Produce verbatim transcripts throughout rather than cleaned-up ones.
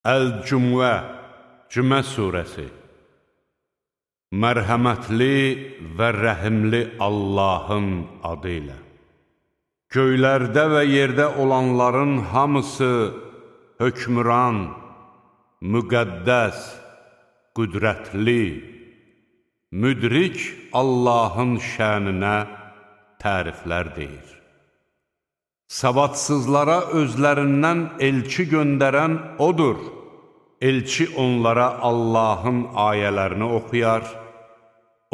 Əl-Cümə, Cümə surəsi. Mərhəmətli və rəhimli Allahın adı ilə. Göylərdə və yerdə olanların hamısı hökmüran, müqəddəs, qüdrətli, müdrik Allahın şəninə təriflər deyir. Savadsızlara özlərindən elçi göndərən odur. Elçi onlara Allahın ayələrini oxuyar,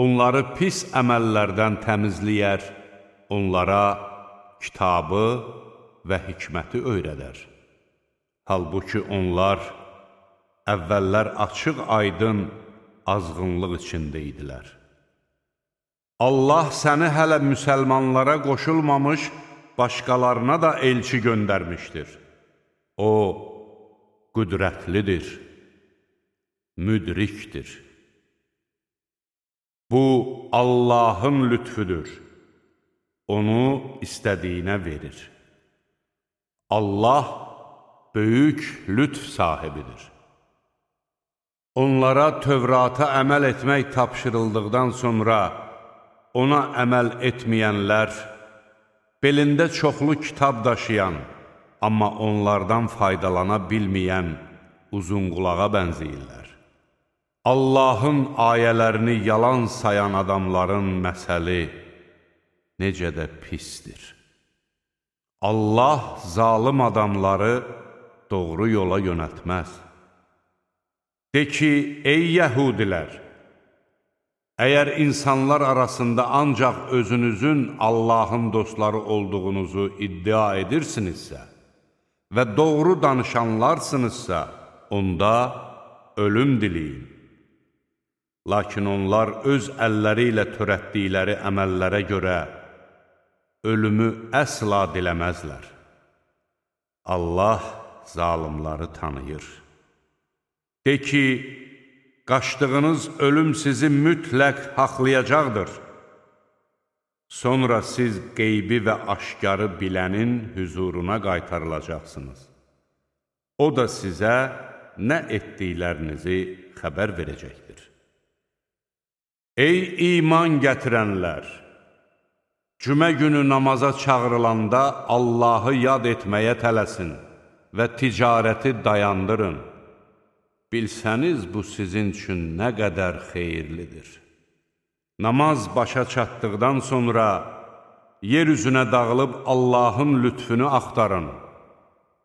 onları pis əməllərdən təmizləyər, onlara kitabı və hikməti öyrədər. Halbuki onlar əvvəllər açıq aydın azğınlıq içində idilər. Allah səni hələ müsəlmanlara qoşulmamış, başqalarına da elçi göndərmişdir. O, qüdrətlidir, müdrikdir. Bu, Allahın lütfüdür. Onu istədiyinə verir. Allah, böyük lütf sahibidir. Onlara Tövrata əməl etmək tapşırıldıqdan sonra, ona əməl etməyənlər, belində çoxlu kitab daşıyan, amma onlardan faydalana bilməyən uzunqulağa bənzəyirlər. Allahın ayələrini yalan sayan adamların məsəli necə də pisdir. Allah zalım adamları doğru yola yönəltməz. De ki, ey yəhudilər! Əgər insanlar arasında ancaq özünüzün Allahın dostları olduğunuzu iddia edirsinizsə və doğru danışanlarsınızsa, onda ölüm diləyin. Lakin onlar öz əlləri ilə törətdikləri əməllərə görə ölümü əsla diləməzlər. Allah zalımları tanıyır. De ki, qaçdığınız ölüm sizi mütləq haqlayacaqdır. Sonra siz qeybi və aşkarı bilənin hüzuruna qaytarılacaqsınız. O da sizə nə etdiklərinizi xəbər verəcəkdir. Ey iman gətirənlər! Cümə günü namaza çağırılanda Allahı yad etməyə tələsin və ticarəti dayandırın. Bilsəniz, bu sizin üçün nə qədər xeyirlidir. Namaz başa çatdıqdan sonra yer üzünə dağılıb Allahın lütfünü axtarın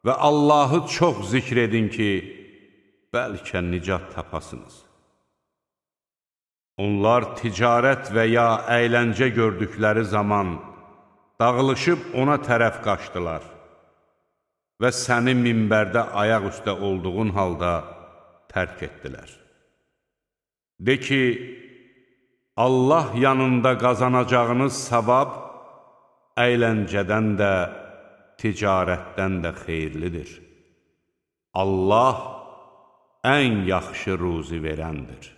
və Allahı çox zikr edin ki, bəlkə nicat tapasınız. Onlar ticarət və ya əyləncə gördükləri zaman dağılışıb ona tərəf qaçdılar və səni minbərdə ayaq üstə olduğun halda tərk etdilər. De ki, Allah yanında qazanacağınız savab əyləncədən də, ticarətdən də xeyirlidir. Allah ən yaxşı ruzi verəndir.